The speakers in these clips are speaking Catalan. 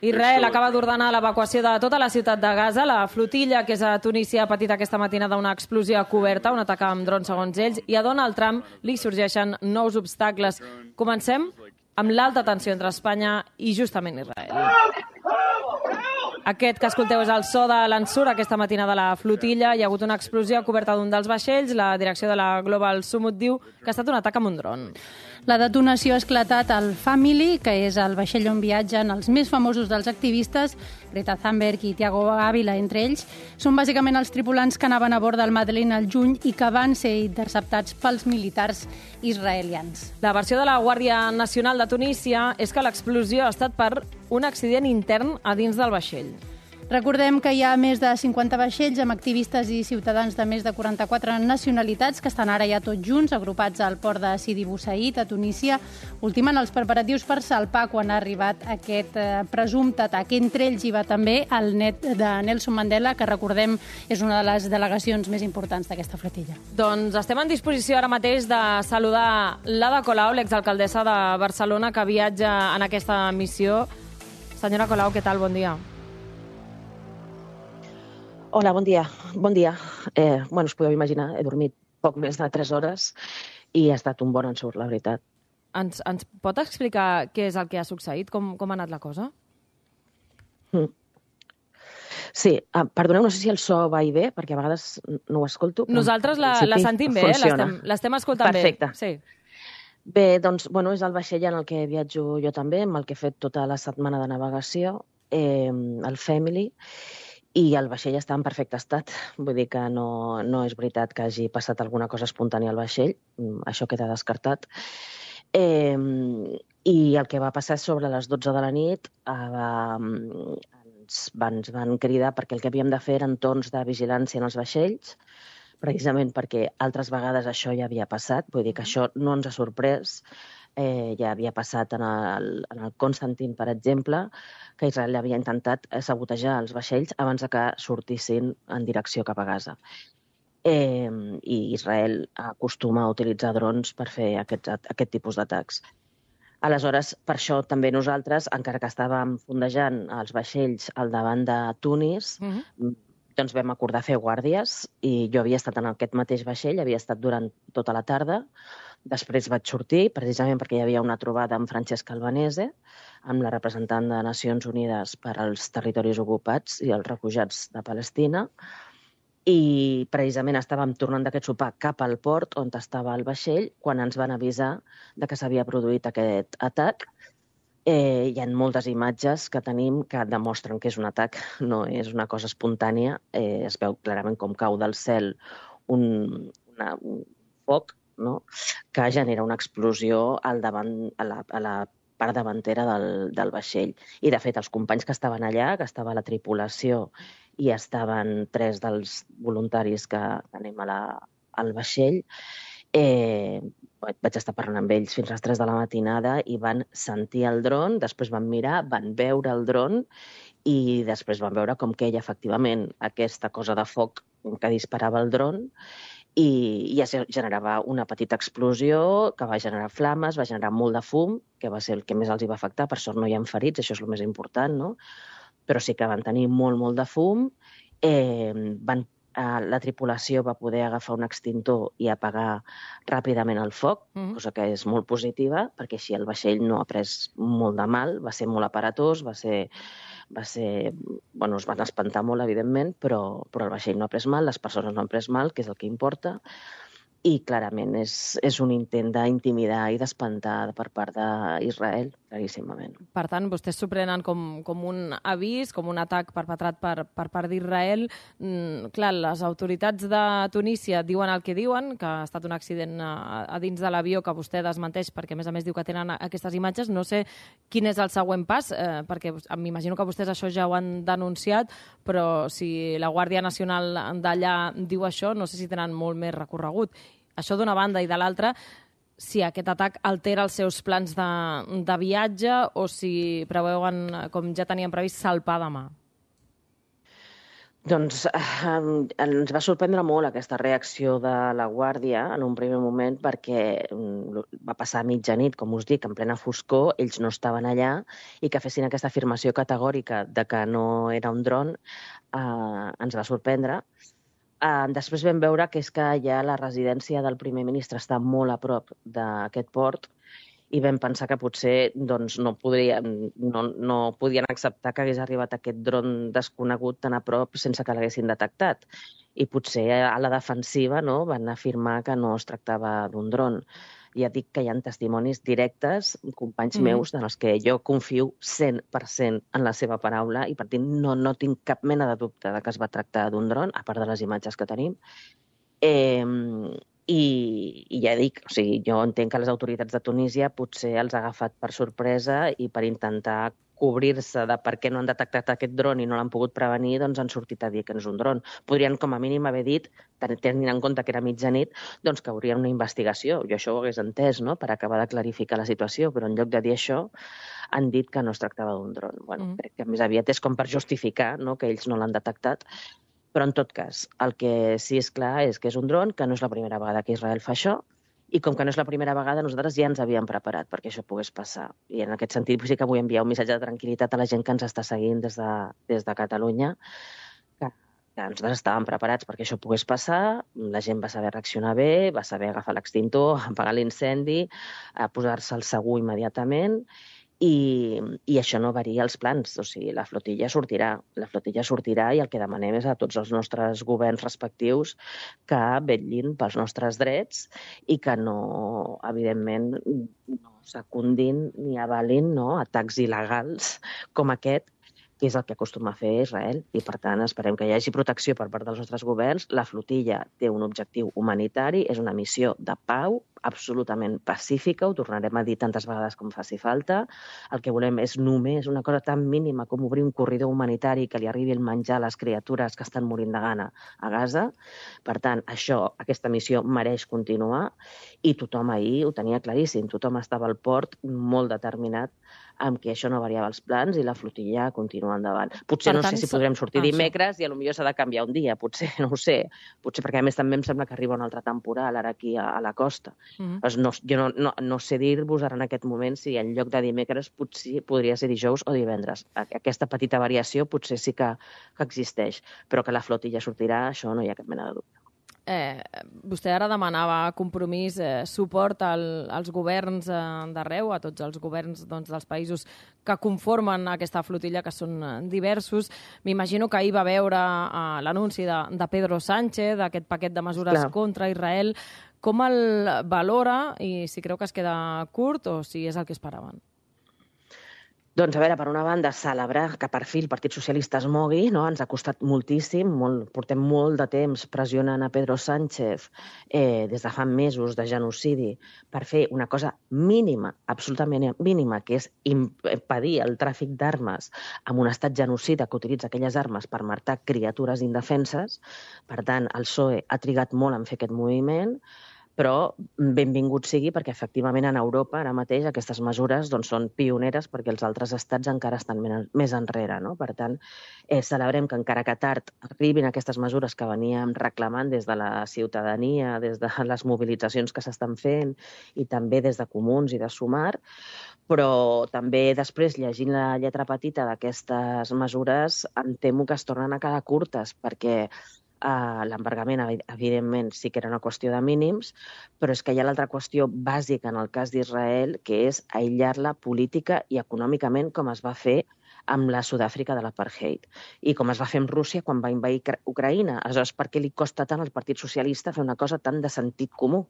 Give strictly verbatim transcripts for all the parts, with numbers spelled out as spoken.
Israel acaba d'ordenar l'evacuació de tota la ciutat de Gaza. La flotilla, que és a Tunísia, ha patit aquesta matinada una explosió coberta, un atac amb drons segons ells, i a Donald Trump li sorgeixen nous obstacles. Comencem amb l'alta tensió entre Espanya i justament Israel. Aquest que escolteu és el so de l'ensura aquesta matina de la flotilla. Hi ha hagut una explosió a coberta d'un dels vaixells. La direcció de la Global Summit diu que ha estat un atac amb un dron. La detonació ha esclatat al Family, que és el vaixell on viatgen els més famosos dels activistes, Greta Thunberg i Thiago Ávila, entre ells. Són bàsicament els tripulants que anaven a bord del Madeleine al juny i que van ser interceptats pels militars israelians. La versió de la Guàrdia Nacional de Tunísia és que l'explosió ha estat per un accident intern a dins del vaixell. Recordem que hi ha més de cinquanta vaixells amb activistes i ciutadans de més de quaranta-quatre nacionalitats que estan ara ja tots junts, agrupats al port de Sidi Bou Said, a Tunísia, ultimant els preparatius per salpar quan ha arribat aquest eh, presumpte atac. Entre ells hi va també el net de Nelson Mandela, que recordem és una de les delegacions més importants d'aquesta flotilla. Doncs estem en disposició ara mateix de saludar l'Ada Colau, l'exalcaldessa de Barcelona, que viatja en aquesta missió. Senyora Colau, què tal? Bon dia. Hola, bon dia. Bon dia. Eh, bueno, us podeu imaginar, he dormit poc més de tres hores i ha estat un bon ensurt, la veritat. Ens, ens pot explicar què és el que ha succeït? Com, com ha anat la cosa? Mm. Sí, ah, perdoneu, no sé si el so va i bé, perquè a vegades no ho escolto. Nosaltres la, la sentim bé, eh? l'estem escoltant Perfecte. bé. Sí. Bé, doncs, bueno, és el vaixell en el que viatjo jo també, amb el que he fet tota la setmana de navegació, eh, el Family, i el vaixell està en perfecte estat. Vull dir que no, no és veritat que hagi passat alguna cosa espontània al vaixell. Això queda descartat. Eh, I el que va passar sobre les dotze de la nit eh, ens, van, ens van cridar perquè el que havíem de fer eren torns de vigilància en els vaixells, precisament perquè altres vegades això ja havia passat. Vull dir que això no ens ha sorprès. Eh, ja havia passat en el, en el Constantin, per exemple, que Israel havia intentat sabotejar els vaixells abans de que sortissin en direcció cap a Gaza. Eh, I Israel acostuma a utilitzar drons per fer aquests, aquest tipus d'atacs. Aleshores, per això també nosaltres, encara que estàvem fondejant els vaixells al davant de Tunis, uh-huh. doncs vam acordar fer guàrdies, i jo havia estat en aquest mateix vaixell, havia estat durant tota la tarda. Després vaig sortir, precisament perquè hi havia una trobada amb Francesca Albanese, amb la representant de Nacions Unides per als territoris ocupats i els refugiats de Palestina, i precisament estàvem tornant d'aquest sopar cap al port on estava el vaixell quan ens van avisar de que s'havia produït aquest atac. Eh, hi ha moltes imatges que tenim que demostren que és un atac, no és una cosa espontània. Eh, es veu clarament com cau del cel un, una, un foc, no? Que genera una explosió al davant, a, la, a la part davantera del, del vaixell. I, de fet, els companys que estaven allà, que estava la tripulació i estaven tres dels voluntaris que anem a la, al vaixell, eh, vaig estar parlant amb ells fins a les tres de la matinada i van sentir el dron, després van mirar, van veure el dron i després van veure com queia efectivament aquesta cosa de foc que disparava el dron, i ja generava una petita explosió que va generar flames, va generar molt de fum, que va ser el que més els hi va afectar. Per sort no hi ha ferits, això és el més important, no? Però sí que van tenir molt, molt de fum. Eh, van, eh, la tripulació va poder agafar un extintor i apagar ràpidament el foc, mm-hmm. cosa que és molt positiva, perquè així el vaixell no ha pres molt de mal, va ser molt aparatós, va ser... va ser, bueno, es van espantar molt, evidentment, però, però el vaixell no ha pres mal, les persones no han pres mal, que és el que importa, i clarament és, és un intent d'intimidar i d'espantar per part d'Israel, claríssimament. Per tant, vostès s'ho prenen com, com un avís, com un atac perpetrat per, per part d'Israel. Mm, clar, les autoritats de Tunísia diuen el que diuen, que ha estat un accident a, a dins de l'avió que vostè desmenteix, perquè a més a més diu que tenen aquestes imatges. No sé quin és el següent pas, eh, perquè m'imagino que vostès això ja ho han denunciat, però si la Guàrdia Nacional d'allà diu això, no sé si tenen molt més recorregut. Això d'una banda, i de l'altra, si aquest atac altera els seus plans de, de viatge o si preveuen, com ja tenien previst, salpar demà. Doncs eh, ens va sorprendre molt aquesta reacció de la Guàrdia en un primer moment perquè va passar a mitjanit, com us dic, en plena foscor, ells no estaven allà i que fessin aquesta afirmació categòrica de que no era un dron eh, ens va sorprendre. Eh, després vam veure que és que ja la residència del primer ministre està molt a prop d'aquest port i vam pensar que potser doncs, no, podrien, no, no podien acceptar que hagués arribat aquest dron desconegut tan a prop sense que l'haguessin detectat. I potser a la defensiva no, van afirmar que no es tractava d'un dron. Ja dic que hi ha testimonis directes, companys mm. meus, en els que jo confio cent per cent en la seva paraula i per tant no, no tinc cap mena de dubte de que es va tractar d'un dron, a part de les imatges que tenim. Eh, I, I ja dic, o sigui, jo entenc que les autoritats de Tunísia potser els ha agafat per sorpresa i per intentar cobrir-se de per què no han detectat aquest dron i no l'han pogut prevenir, doncs han sortit a dir que és un dron. Podrien, com a mínim, haver dit, tenint en compte que era mitjanit, doncs que haurien una investigació. Jo això ho hagués entès, no?, per acabar de clarificar la situació, però en lloc de dir això, han dit que no es tractava d'un dron. Bueno, mm. crec que més aviat és com per justificar, no?, que ells no l'han detectat. Però, en tot cas, el que sí és clar és que és un dron, que no és la primera vegada que Israel fa això, i com que no és la primera vegada, nosaltres ja ens havíem preparat perquè això pogués passar. I en aquest sentit sí que vull enviar un missatge de tranquil·litat a la gent que ens està seguint des de, des de Catalunya, que, que nosaltres estàvem preparats perquè això pogués passar, la gent va saber reaccionar bé, va saber agafar l'extintor, apagar l'incendi, posar-se al segur immediatament, I, i això no varia els plans, o sigui, la flotilla sortirà, la flotilla sortirà i el que demanem és a tots els nostres governs respectius que vetllin pels nostres drets i que no, evidentment, no secundin ni avalin no, atacs il·legals com aquest, que és el que acostuma a fer Israel, i per tant esperem que hi hagi protecció per part dels nostres governs. La flotilla té un objectiu humanitari, és una missió de pau, absolutament pacífica, ho tornarem a dir tantes vegades com faci falta. El que volem és només una cosa tan mínima com obrir un corredor humanitari que li arribi el menjar a les criatures que estan morint de gana a Gaza. Per tant, això, aquesta missió mereix continuar i tothom ahir ho tenia claríssim. Tothom estava al port molt determinat amb que això no variava els plans i la flotilla continua endavant. Potser per no tant, sé si podrem sortir ah, dimecres i potser s'ha de canviar un dia, potser, no ho sé. Potser perquè a més també em sembla que arriba un altre temporal ara aquí a, a la costa. Mm -hmm. no, jo no, no, no sé dir-vos ara en aquest moment si en lloc de dimecres potser podria ser dijous o divendres. Aquesta petita variació potser sí que, que existeix, però que la flotilla sortirà, això no hi ha cap mena de dubte. Eh, vostè ara demanava compromís, eh, suport al, als governs eh, d'arreu, a tots els governs doncs, dels països que conformen aquesta flotilla, que són eh, diversos. M'imagino que ahir va veure eh, l'anunci de, de Pedro Sánchez, d'aquest paquet de mesures Clar. contra Israel. Com el valora i si creu que es queda curt o si és el que esperaven? Doncs, a veure, per una banda, celebrar que per fi el Partit Socialista es mogui, no? Ens ha costat moltíssim, molt, portem molt de temps pressionant a Pedro Sánchez eh, des de fa mesos de genocidi per fer una cosa mínima, absolutament mínima, que és impedir el tràfic d'armes amb un estat genocida que utilitza aquelles armes per matar criatures indefenses. Per tant, el P S O E ha trigat molt en fer aquest moviment, però benvingut sigui perquè efectivament en Europa ara mateix aquestes mesures doncs, són pioneres perquè els altres estats encara estan més enrere. No? Per tant, eh, celebrem que encara que tard arribin aquestes mesures que veníem reclamant des de la ciutadania, des de les mobilitzacions que s'estan fent i també des de Comuns i de Sumar, però també després, llegint la lletra petita d'aquestes mesures, em temo que es tornen a quedar curtes perquè Uh, l'embargament, evidentment, sí que era una qüestió de mínims, però és que hi ha l'altra qüestió bàsica en el cas d'Israel, que és aïllar-la política i econòmicament, com es va fer amb la Sud-àfrica de l'apartheid i com es va fer amb Rússia quan va invadir Ucraïna. Aleshores, per què li costa tant al Partit Socialista fer una cosa tan de sentit comú?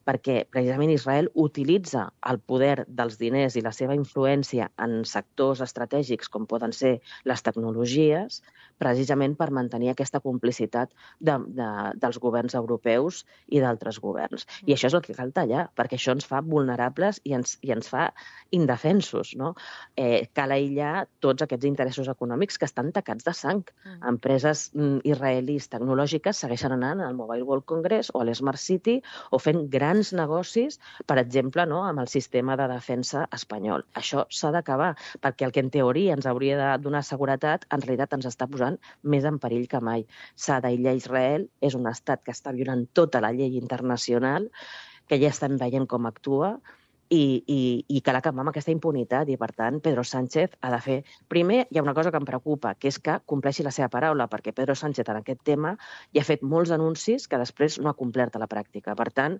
Perquè precisament Israel utilitza el poder dels diners i la seva influència en sectors estratègics com poden ser les tecnologies, precisament per mantenir aquesta complicitat de, de, dels governs europeus i d'altres governs. I això és el que cal tallar, perquè això ens fa vulnerables i ens, i ens fa indefensos. No? Eh, cal aïllar tots aquests interessos econòmics que estan tacats de sang. Mm. Empreses mm, israelis tecnològiques segueixen anant al Mobile World Congress o a l'Smart City o fent grans grans negocis, per exemple, no, amb el sistema de defensa espanyol. Això s'ha d'acabar, perquè el que en teoria ens hauria de donar seguretat, en realitat ens està posant més en perill que mai. S'ha d'aïllar Israel, és un estat que està violant tota la llei internacional, que ja estem veient com actua, i, i, i cal acabar amb aquesta impunitat. I, per tant, Pedro Sánchez ha de fer... Primer, hi ha una cosa que em preocupa, que és que compleixi la seva paraula, perquè Pedro Sánchez en aquest tema ja ha fet molts anuncis que després no ha complert a la pràctica. Per tant,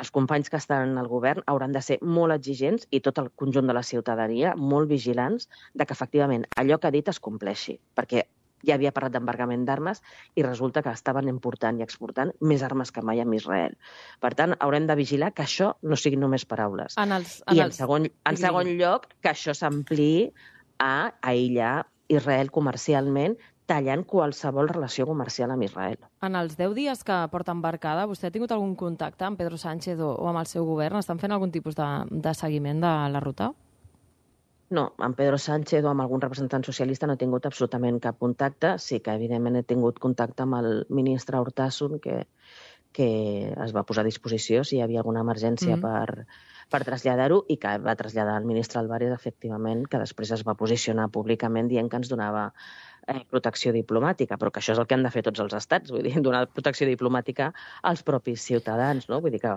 els companys que estan al govern hauran de ser molt exigents i tot el conjunt de la ciutadania molt vigilants de que, efectivament, allò que ha dit es compleixi, perquè ja havia parlat d'embargament d'armes i resulta que estaven important i exportant més armes que mai amb Israel. Per tant, haurem de vigilar que això no siguin només paraules. En els, en I en els... segon, en segon lloc, que això s'ampliï a aïllar Israel comercialment, tallant qualsevol relació comercial amb Israel. En els deu dies que porta embarcada, vostè ha tingut algun contacte amb Pedro Sánchez o, o amb el seu govern? Estan fent algun tipus de, de seguiment de la ruta? No, amb Pedro Sánchez o amb algun representant socialista no he tingut absolutament cap contacte. Sí que, evidentment, he tingut contacte amb el ministre Urtasun, que, que es va posar a disposició si hi havia alguna emergència mm. per, per traslladar-ho, i que va traslladar al ministre Álvarez, efectivament, que després es va posicionar públicament dient que ens donava eh, protecció diplomàtica, però que això és el que han de fer tots els estats, vull dir, donar protecció diplomàtica als propis ciutadans, no? Vull dir que,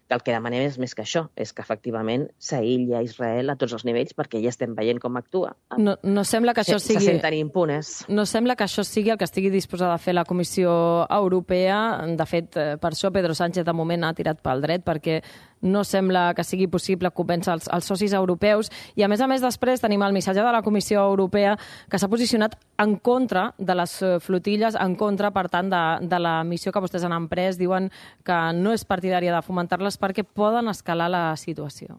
que el que demanem és més que això, és que efectivament s'aïlli a Israel a tots els nivells, perquè ja estem veient com actua. No, no sembla que això se, sigui... Se senten impunes. No sembla que això sigui el que estigui disposada a fer la Comissió Europea. De fet, per això Pedro Sánchez de moment ha tirat pel dret, perquè no sembla que sigui possible convèncer els, els socis europeus. I, a més a més, després tenim el missatge de la Comissió Europea que s'ha posicionat en contra de les flotilles, en contra, per tant, de, de la missió que vostès han emprès. Diuen que no és partidària de fomentar-les perquè poden escalar la situació.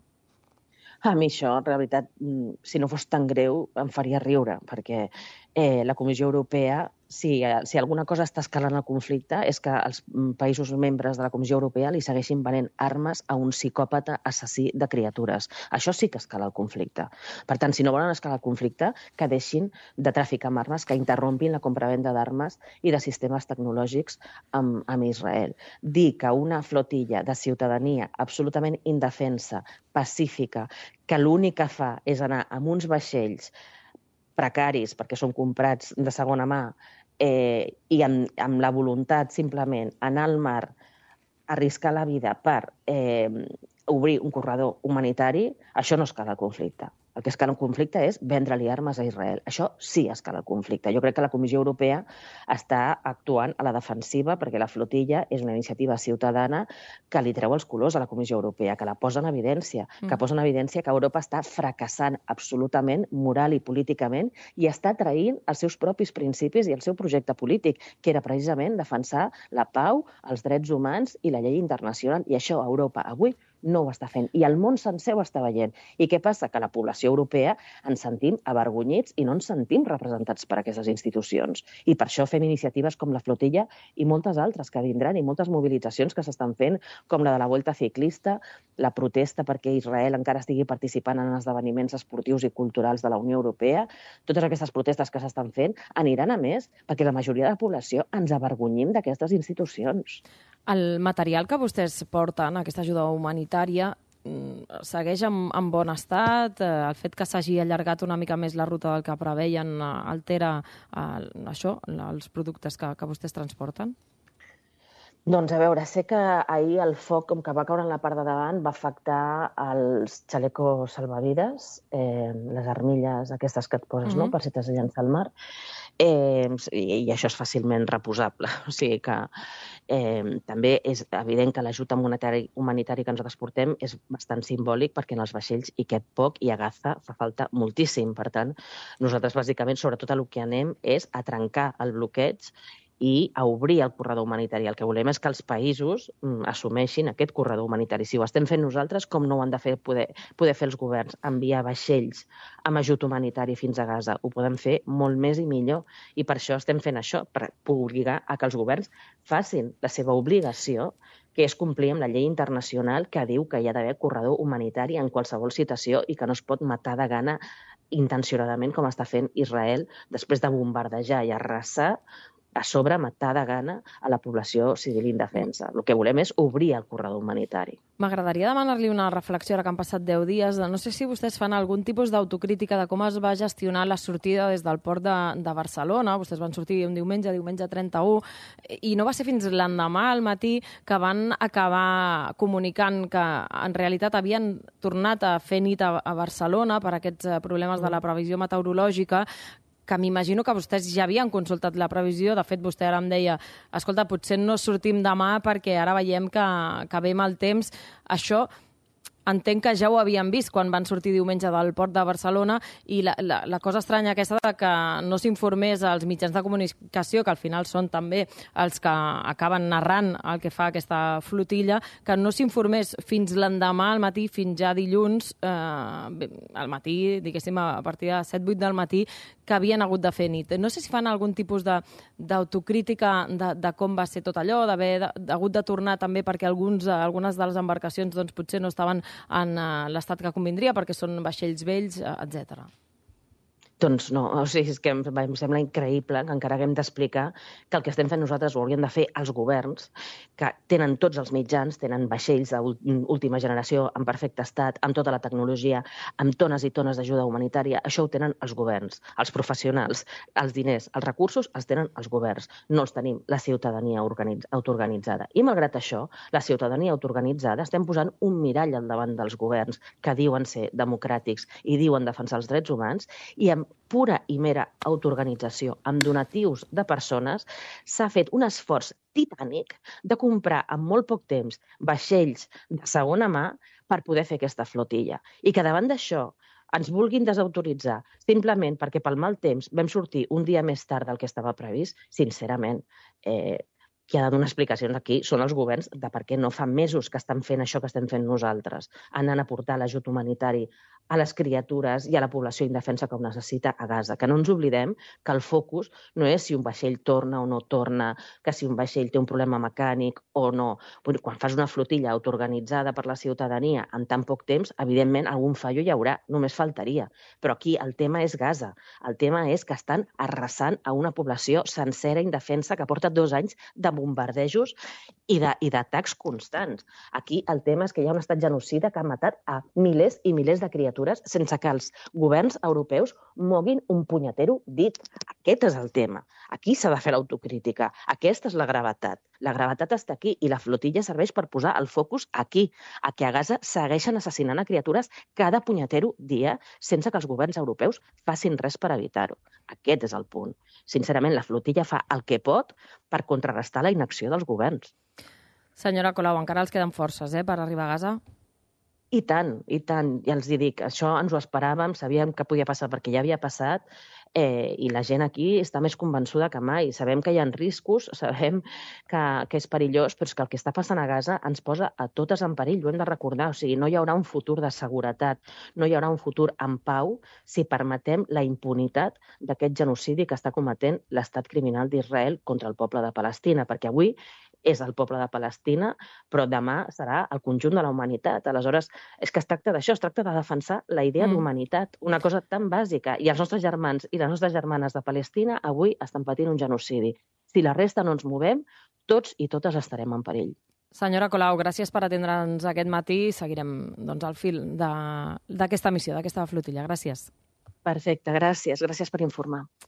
A mi això, en realitat, si no fos tan greu, em faria riure, perquè eh, la Comissió Europea, si, si alguna cosa està escalant el conflicte, és que els països membres de la Comissió Europea li segueixin venent armes a un psicòpata assassí de criatures. Això sí que escala el conflicte. Per tant, si no volen escalar el conflicte, que deixin de traficar amb armes, que interrompin la compravenda d'armes i de sistemes tecnològics amb, amb Israel. Dir que una flotilla de ciutadania absolutament indefensa, pacífica, que l'únic que fa és anar amb uns vaixells precaris, perquè són comprats de segona mà, eh, i amb, amb la voluntat simplement anar al mar, arriscar la vida per eh, obrir un corredor humanitari, això no escala el conflicte. El que escala el conflicte és vendre-li armes a Israel. Això sí escala el conflicte. Jo crec que la Comissió Europea està actuant a la defensiva, perquè la flotilla és una iniciativa ciutadana que li treu els colors a la Comissió Europea, que la posa en evidència, mm. que posa en evidència que Europa està fracassant absolutament moral i políticament i està traint els seus propis principis i el seu projecte polític, que era precisament defensar la pau, els drets humans i la llei internacional. I això Europa avui no ho està fent. I el món sencer ho està veient. I què passa? Que la població europea ens sentim avergonyits i no ens sentim representats per aquestes institucions. I per això fem iniciatives com la flotilla i moltes altres que vindran, i moltes mobilitzacions que s'estan fent, com la de la Volta Ciclista, la protesta perquè Israel encara estigui participant en esdeveniments esportius i culturals de la Unió Europea. Totes aquestes protestes que s'estan fent aniran a més perquè la majoria de la població ens avergonyim d'aquestes institucions. El material que vostès porten, aquesta ajuda humanitària, segueix en, en bon estat? El fet que s'hagi allargat una mica més la ruta del que preveien altera eh, això, els productes que, que vostès transporten? Doncs a veure, sé que ahir el foc, com que va caure en la part de davant, va afectar els xalecos salvavides, eh, les armilles aquestes que et poses, mm-hmm. no?, per si t'has de llançar al mar, eh, i, i això és fàcilment reposable. O sigui que eh, també és evident que l'ajut humanitari, humanitari que nosaltres portem és bastant simbòlic, perquè en els vaixells hi cap poc i a Gaza fa falta moltíssim. Per tant, nosaltres bàsicament, sobretot el que anem és a trencar el bloqueig i a obrir el corredor humanitari. El que volem és que els països mm, assumeixin aquest corredor humanitari. Si ho estem fent nosaltres, com no ho han de fer poder, poder fer els governs? Enviar vaixells amb ajut humanitari fins a Gaza. Ho podem fer molt més i millor. I per això estem fent això, per obligar a que els governs facin la seva obligació, que és complir amb la llei internacional que diu que hi ha d'haver corredor humanitari en qualsevol situació i que no es pot matar de gana intencionadament, com està fent Israel, després de bombardejar i arrasar a sobre matar de gana a la població civil indefensa. El que volem és obrir el corredor humanitari. M'agradaria demanar-li una reflexió, ara que han passat deu dies. No sé si vostès fan algun tipus d'autocrítica de com es va gestionar la sortida des del port de, de Barcelona. Vostès van sortir un diumenge, diumenge trenta-u, i no va ser fins l'endemà al matí que van acabar comunicant que en realitat havien tornat a fer nit a, a Barcelona per aquests problemes de la previsió meteorològica, que m'imagino que vostès ja havien consultat la previsió. De fet, vostè ara em deia, escolta, potser no sortim demà perquè ara veiem que, que ve mal temps. Això entenc que ja ho havien vist quan van sortir diumenge del port de Barcelona, i la, la, la cosa estranya aquesta de que no s'informés als mitjans de comunicació, que al final són també els que acaben narrant el que fa aquesta flotilla, que no s'informés fins l'endemà al matí, fins ja dilluns, eh, al matí, diguéssim, a partir de set vuit del matí, que havien hagut de fer nit. No sé si fan algun tipus d'autocrítica de, de, de com va ser tot allò, d'haver hagut de tornar també perquè alguns, algunes de les embarcacions doncs, potser no estaven en uh, l'estat que convindria, perquè són vaixells vells, uh, etcètera. Doncs no, o sigui, és que em, em sembla increïble que encara haguem d'explicar que el que estem fent nosaltres ho haurien de fer els governs, que tenen tots els mitjans, tenen vaixells d'última generació en perfecte estat, amb tota la tecnologia, amb tones i tones d'ajuda humanitària. Això ho tenen els governs, els professionals, els diners, els recursos els tenen els governs, no els tenim la ciutadania organitz autoorganitzada. I malgrat això, la ciutadania autoorganitzada estem posant un mirall al davant dels governs que diuen ser democràtics i diuen defensar els drets humans, i amb pura i mera autoorganització, amb donatius de persones, s'ha fet un esforç titànic de comprar en molt poc temps vaixells de segona mà per poder fer aquesta flotilla. I que davant d'això ens vulguin desautoritzar simplement perquè pel mal temps vam sortir un dia més tard del que estava previst, sincerament, eh, qui ha de donar explicacions aquí són els governs de per què no fa mesos que estan fent això que estem fent nosaltres, anant a portar l'ajut humanitari a les criatures i a la població indefensa que ho necessita a Gaza. Que no ens oblidem que el focus no és si un vaixell torna o no torna, que si un vaixell té un problema mecànic o no. Quan fas una flotilla autoorganitzada per la ciutadania en tan poc temps, evidentment algun fallo hi haurà, només faltaria. Però aquí el tema és Gaza. El tema és que estan arrasant a una població sencera indefensa que porta dos anys de bombardejos i d'atacs constants. Aquí el tema és que hi ha un estat genocida que ha matat a milers i milers de criatures sense que els governs europeus moguin un punyetero dit. Aquest és el tema. Aquí s'ha de fer l'autocrítica. Aquesta és la gravetat. La gravetat està aquí i la flotilla serveix per posar el focus aquí, a que a Gaza segueixen assassinant a criatures cada punyetero dia sense que els governs europeus facin res per evitar-ho. Aquest és el punt. Sincerament, la flotilla fa el que pot per contrarrestar la inacció dels governs. Senyora Colau, encara els queden forces eh, per arribar a Gaza? I tant, i tant. Ja els dic, això ens ho esperàvem, sabíem que podia passar perquè ja havia passat, eh, i la gent aquí està més convençuda que mai. Sabem que hi ha riscos, sabem que, que és perillós, però és que el que està passant a Gaza ens posa a totes en perill, ho hem de recordar. O sigui, no hi haurà un futur de seguretat, no hi haurà un futur en pau si permetem la impunitat d'aquest genocidi que està cometent l'estat criminal d'Israel contra el poble de Palestina, perquè avui és el poble de Palestina, però demà serà el conjunt de la humanitat. Aleshores, és que es tracta d'això, es tracta de defensar la idea mm. d'humanitat, una cosa tan bàsica. I els nostres germans i les nostres germanes de Palestina avui estan patint un genocidi. Si la resta no ens movem, tots i totes estarem en perill. Senyora Colau, gràcies per atendre'ns aquest matí. Seguirem doncs, al fil d'aquesta missió, d'aquesta flotilla. Gràcies. Perfecte, gràcies. Gràcies per informar.